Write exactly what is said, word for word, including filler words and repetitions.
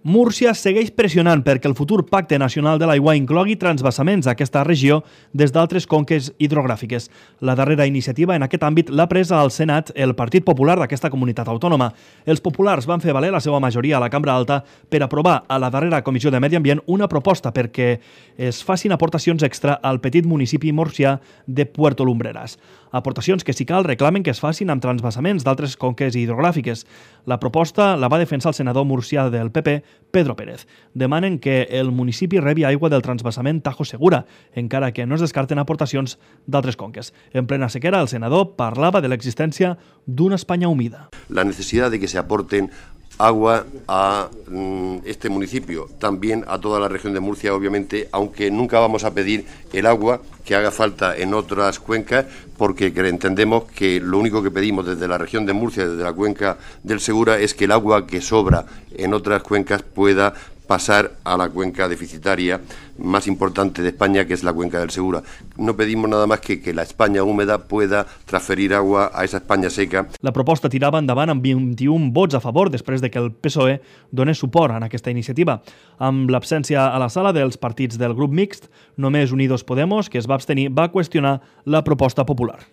Múrcia segueix pressionant perquè el futur Pacte Nacional de l'Aigua inclogui transvasaments a aquesta regió des d'altres conques hidrogràfiques. La darrera iniciativa en aquest àmbit l'ha presa al Senat el Partit Popular d'aquesta comunitat autònoma. Els populars van fer valer la seva majoria a la Cambra Alta per aprovar a la darrera Comissió de Medi Ambient una proposta perquè es facin aportacions extra al petit municipi murcià de Puerto Lumbreras. Aportacions que, si cal, reclamen que es facin amb transvasaments d'altres conques hidrogràfiques. La proposta la va defensar el senador murcià del P P, Pedro Pérez. Demanen que el municipi rebi aigua del transvasament Tajo Segura, encara que no es descarten aportacions d'altres conques. En plena sequera, el senador parlava de l'existència d'una Espanya humida. La necesidad de que se aporten agua a este municipio, también a toda la región de Murcia, obviamente, aunque nunca vamos a pedir el agua que haga falta en otras cuencas, porque entendemos que lo único que pedimos desde la región de Murcia, desde la cuenca del Segura, es que el agua que sobra en otras cuencas pueda pasar a la cuenca deficitaria más importante de España, que es la cuenca del Segura. No pedimos nada más que que la España húmeda pueda transferir agua a esa España seca. La proposta tirava endavant amb vint-i-un vots a favor després de que el P S O E donés suport a aquesta iniciativa. Amb l'absència a la sala dels partits del grup mixt, només Unidos Podemos, que es va abstenir, va qüestionar la proposta popular.